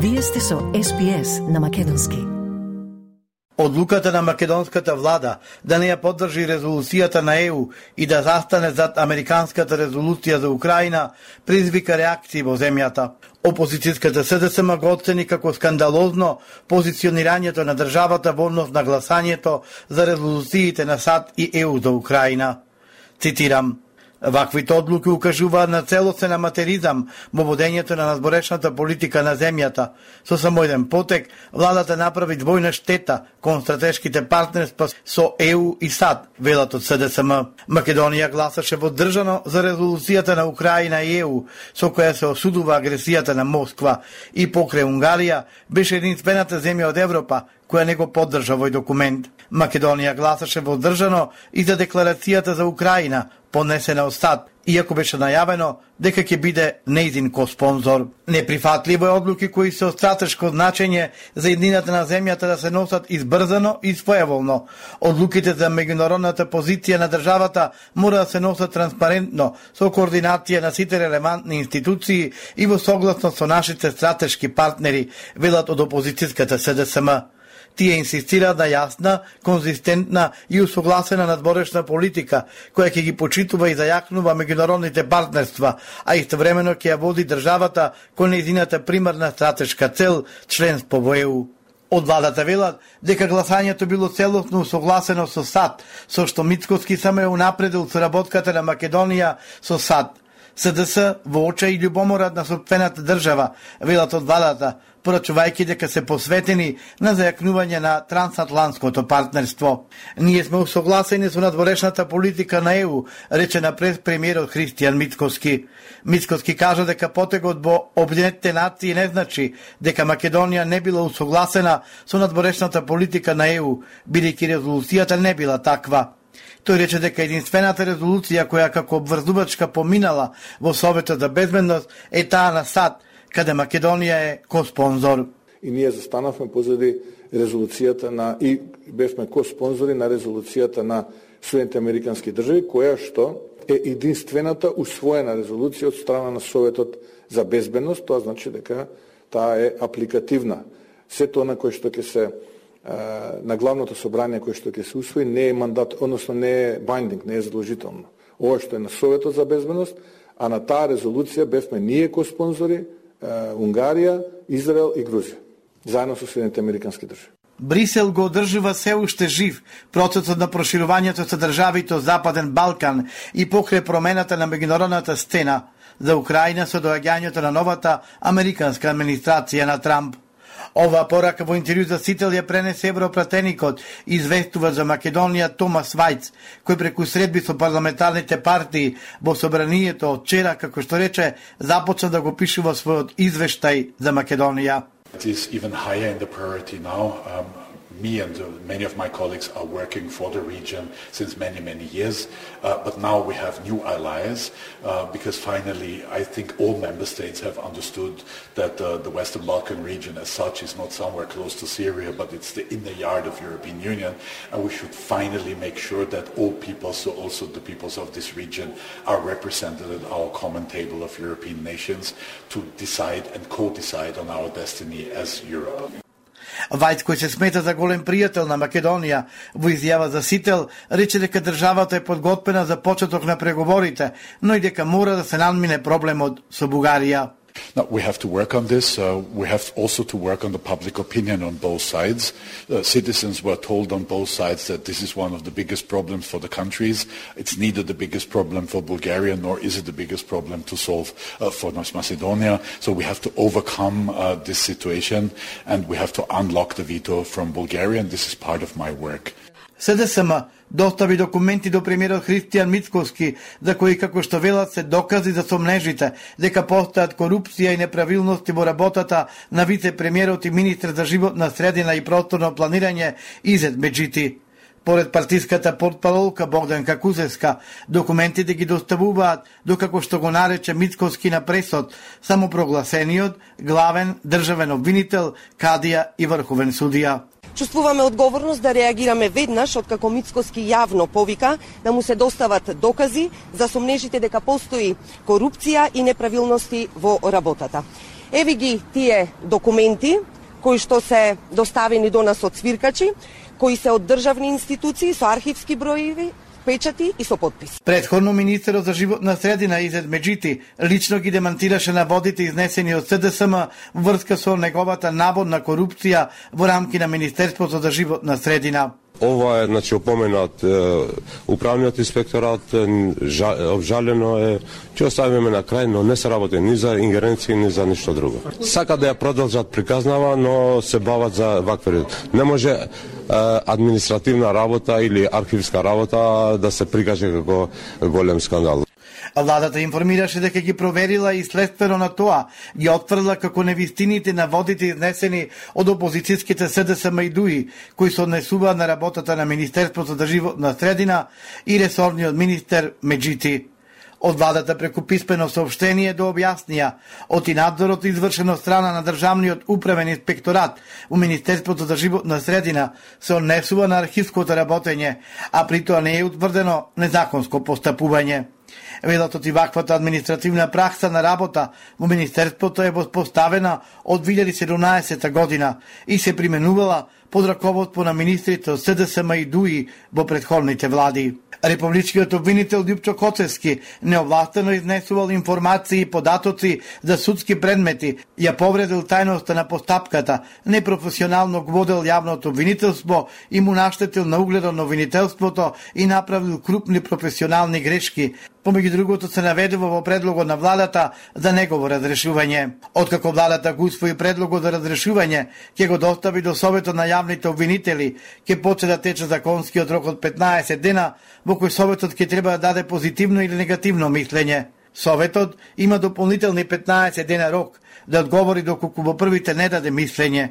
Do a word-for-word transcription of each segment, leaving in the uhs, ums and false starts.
Вие сте со Ес Би Ес на македонски. Одлуката на македонската влада да не ја поддржи резолуцијата на Е У и да застане зад американската резолуција за Украина призвика реакции во земјата. Опозицијската С Д С М го оцени како скандалозно позиционирањето на државата во однос на гласањето за резолуциите на САД и Е У за Украина. Цитирам: "Ваквите одлуки укажуваат на целосен аматеризам во водењето на надборешната политика на земјата. Со само еден потек, владата направи двојна штета кон стратешките партнерства со Е У и САД", велат од С Д С М. Македонија гласаше воздржано за резолуцијата на Украина и Е У, со која се осудува агресијата на Москва, и покрај Унгарија беше единствената земја од Европа која не го поддржа овој документ. Македонија гласаше воздржано и за декларацијата за Украина, поднесена од САД, иако беше најавено дека ќе биде нејзин коспонзор. Неприфатливо е одлуки кои се од стратешко значење за еднината на земјата да се носат избрзано и своеволно. Одлуките за меѓународната позиција на државата мора да се носат транспарентно, со координација на сите релевантни институции и во согласност со нашите стратешки партнери, велат од опозицијската С Д С М. Тие инсистираат на јасна, конзистентна и усогласена надборешна политика, која ќе ги почитува и зајакнува меѓународните партнерства, а истовремено ќе ја води државата кон нејзината примарна стратешка цел, членство во Е У. Од владата велат дека гласањето било целосно усогласено со САД, со што Мицкоски само е унапредил соработката на Македонија со САД. С Д С во очај и љубоморат на сопствената држава, велат од владата, порачувајќи дека се посветени на зајакнување на трансатлантското партнерство. "Ние сме усогласени со надворешната политика на Е У", рече напред премиерот Христијан Мицкоски. Мицкоски кажа дека потегот во Обединетите нации не значи дека Македонија не била усогласена со надворешната политика на Е У, бидејќи резолуцијата не била таква. Тој рече дека единствената резолуција која како обврзувачка поминала во Советот за безбедност е таа на САД, каде Македонија е коспонзор. И ние застанавме позади резолуцијата на и бевме коспонзори на резолуцијата на Соединетите американски држави, која што е единствената усвоена резолуција од страна на Советот за безбедност. Тоа значи дека таа е апликативна. Сето на кој што ќе се на главното собрание кој што ќе се усвои не е мандат, односно не е binding, не е задолжително. Ова што е на Советот за безбедност, а на таа резолуција бевме ние коспонзори, Унгарија, Израел и Грузија, заедно со Соединетите американски држави. Брисел го одржува се уште жив процесот на проширувањето со државите од Западен Балкан и покрај промената на меѓународната сцена за Украина со доаѓањето на новата американска администрација на Трамп. Ова порака во интервју за Сител ја пренесе европратеникот, известува за Македонија Томас Вајц, кој преку средби со парламентарните партии во собранието од вчера, како што рече, започна да го пише во својот извештај за Македонија. It is even higher in the priority now. Um, me and uh, many of my colleagues are working for the region since many, many years. Uh, but now we have new allies uh, because finally I think all member states have understood that uh, the Western Balkan region as such is not somewhere close to Syria, but it's the inner yard of European Union. And we should finally make sure that all peoples, so also the peoples of this region, are represented at our common table of European nations to decide and co-decide on our destiny as Europe. Вајц, кој се смета за голем пријател на Македонија, во изјава за Сител, рече дека државата е подготвена за почеток на преговорите, но и дека мора да се надмине проблемот со Бугарија. Now, we have to work on this. Uh, we have also to work on the public opinion on both sides. Uh, citizens were told on both sides that this is one of the biggest problems for the countries. It's neither the biggest problem for Bulgaria, nor is it the biggest problem to solve uh, for North Macedonia. So we have to overcome uh, this situation, and we have to unlock the veto from Bulgaria, and this is part of my work. С Д С М достави документи до премиерот Христијан Мицкоски, за кои, како што велат, се докази за сомнежите дека постојат корупција и неправилности во работата на вице-премиерот и министр за животна средина и просторно планирање Изет Меджити. Поред партиската портпаролка Богданка Кузевска, документите ги доставуваат до, како што го нарече Мицкоски на пресот, самопрогласениот главен државен обвинител, кадија и врховен судија. Чувствуваме одговорност да реагираме веднаш откако Мицкоски јавно повика да му се достават докази за сомнежите дека постои корупција и неправилности во работата. Еви ги тие документи кои што се доставени до нас од свиркачи, кои се од државни институции со архивски броеви, печати и со подпис. Предходно министерот за животна средина Изет Меджити лично ги демантираше наводите изнесени од СДСМ врска со неговата наводна корупција во рамки на Министерството за животна средина. Ова е, значи, опоменат е, управниот инспекторат, жа, обжалено е, ќе оставиме на крај, но не се работи ни за ингеренции, ни за ништо друго. Сака да ја продолжат приказнава, но се бават за вакви. Не може е, административна работа или архивска работа да се прикаже како голем скандал. Владата информираше дека ги проверила и следствено на тоа ги отфрла како невистините на водите изнесени од опозицијските СДСМ и ДУИ, кои се однесуваат на работата на Министерството за животна средина и ресорниот министер Меджити. Од владата преку писмено соопштение до објаснија од и надзорот извршен од страна на Државниот управен инспекторат у Министерството за животна средина се однесува на архивското работење, а при тоа не е утврдено незаконско постапување. Велатот и ваквата административна пракса на работа во Министерството е воспоставена од две илјади и седумнаесета година и се применувала под раководство на министрите од СДСМ и ДУИ во претходните влади. Републичкиот обвинител Љупчо Коцевски неовластено изнесувал информации и податоци за судски предмети, ја повредил тајноста на постапката, непрофесионално го водел јавното обвинителство и му наштетил на угледот на обвинителството и направил крупни професионални грешки. Помеѓу другото се наведува во предлогот на владата за негово разрешување. Откако владата го усвои предлогот за разрешување, ќе го достави до Советот на јавните обвинители, ќе почне да тече законскиот рок од петнаесет дена, во кој Советот ќе треба да даде позитивно или негативно мислење. Советот има дополнителни петнаесет дена рок да одговори доколку во првите не даде мислење.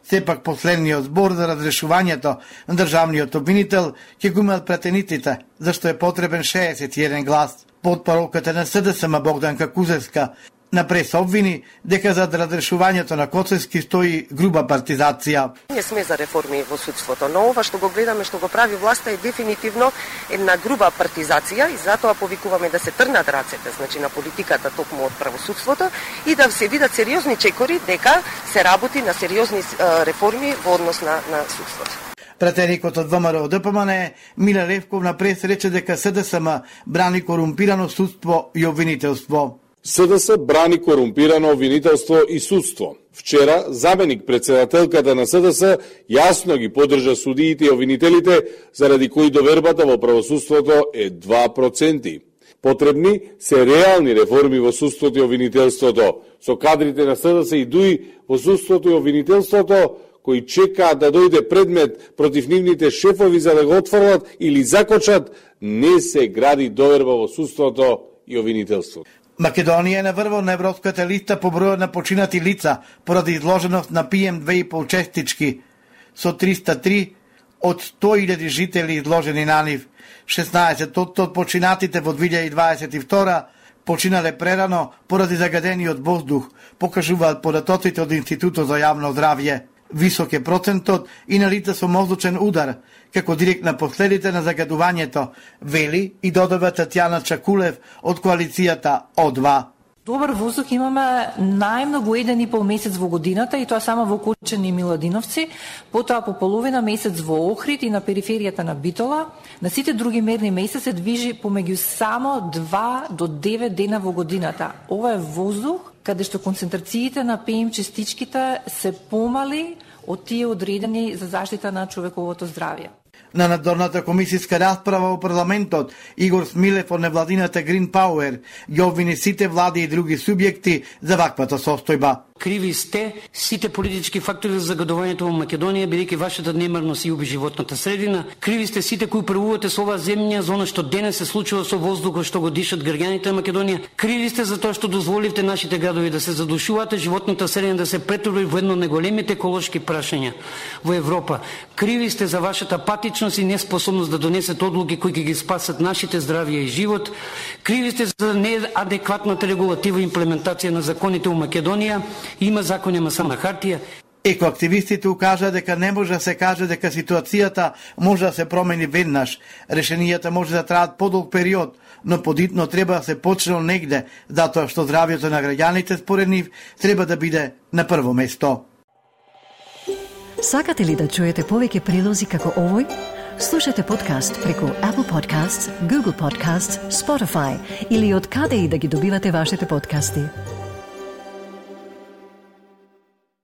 Сепак последниот збор за разрешувањето на државниот обвинител ќе го имаат пратениците, зашто е потребен шеесет и еден глас. Потпоруката на СДСМ Богданка Кузевска на прес обвини дека за разрешувањето на Коцевски стои груба партизација. Не сме за реформи во судството, но ова што го гледаме, што го прави власта е дефинитивно една груба партизација и затоа повикуваме да се трнат рацете, значи на политиката токму од правосудството и да се видат сериозни чекори дека се работи на сериозни реформи во однос на, на судството. Пратеникот од ВМРО Д П М Н Миле Левков на прес рече дека СДСМ брани корумпирано судство и обвинителство. СДС брани корумпирано обвинителство и судство. Вчера, заменик председателката на СДС јасно ги поддржа судиите и обвинителите, заради кои довербата во правосудството е два проценти. Потребни се реални реформи во судството и обвинителството, со кадрите на СДС и ДУИ во судството и обвинителството, кои чекаат да дојде предмет против нивните шефови за да го отфрлат или закочат, не се гради доверба во судството и обвинителството. Македонија е на врвот на европската листа по бројот на починати лица поради изложеност на пи ем две и пол честички, со триста и три од сто илјади жители изложени на нив. шеснаесет од починатите во две илјади дваесет и втора починале прерано поради загадениот воздух, покажуваат податоците од Институтот за јавно здравје. Висок е процентот и на лица со мозочен удар, како директна последица на загадувањето, вели и додава Татјана Чакулев од коалицијата О два. Добар воздух имаме најмногу еден и пол месец во годината и тоа само во Кучани и Миладиновци, потоа по половина месец во Охрид и на периферијата на Битола. На сите други мерни месеци се движи помеѓу само два до девет дена во годината. Ова е воздух каде што концентрациите на пи ем честичките се помали од тие одредени за заштита на човековото здравје. На надзорната комисијска расправа во парламентот, Игор Смилев од невладината Green Power ги обвини сите влади и други субјекти за ваквата состојба. Криви сте сите политички фактори за загадувањето во Македонија, бидејќи вашата немарност и уби животната средина. Криви сте сите кои правувате со оваа земја за она што денес се случува со воздухот што го дишат граѓаните на Македонија. Криви сте за тоа што дозволивте нашите градови да се задушуваат, животната средина да се претвори во едно од најголемите еколошки прашања во Европа. Криви сте за вашата патичност и неспособност да донесете одлуки кои ќе ги спасат нашите здравје и живот. Криви сте за неадекватната регулатива и имплементација на законите во Македонија. Има закони, ама само на хартија. Екоактивистите укажа дека не може да се каже дека ситуацијата може да се промени веднаш. Решенијата може да траат подолг период, но подитно треба да се почне негде, затоа што здравјето на граѓаните според нив треба да биде на прво место. Сакате ли да чуете повеќе прилози како овој? Слушате подкаст преку Apple Podcasts, Google Podcasts, Spotify или од каде и да ги добивате вашите подкасти.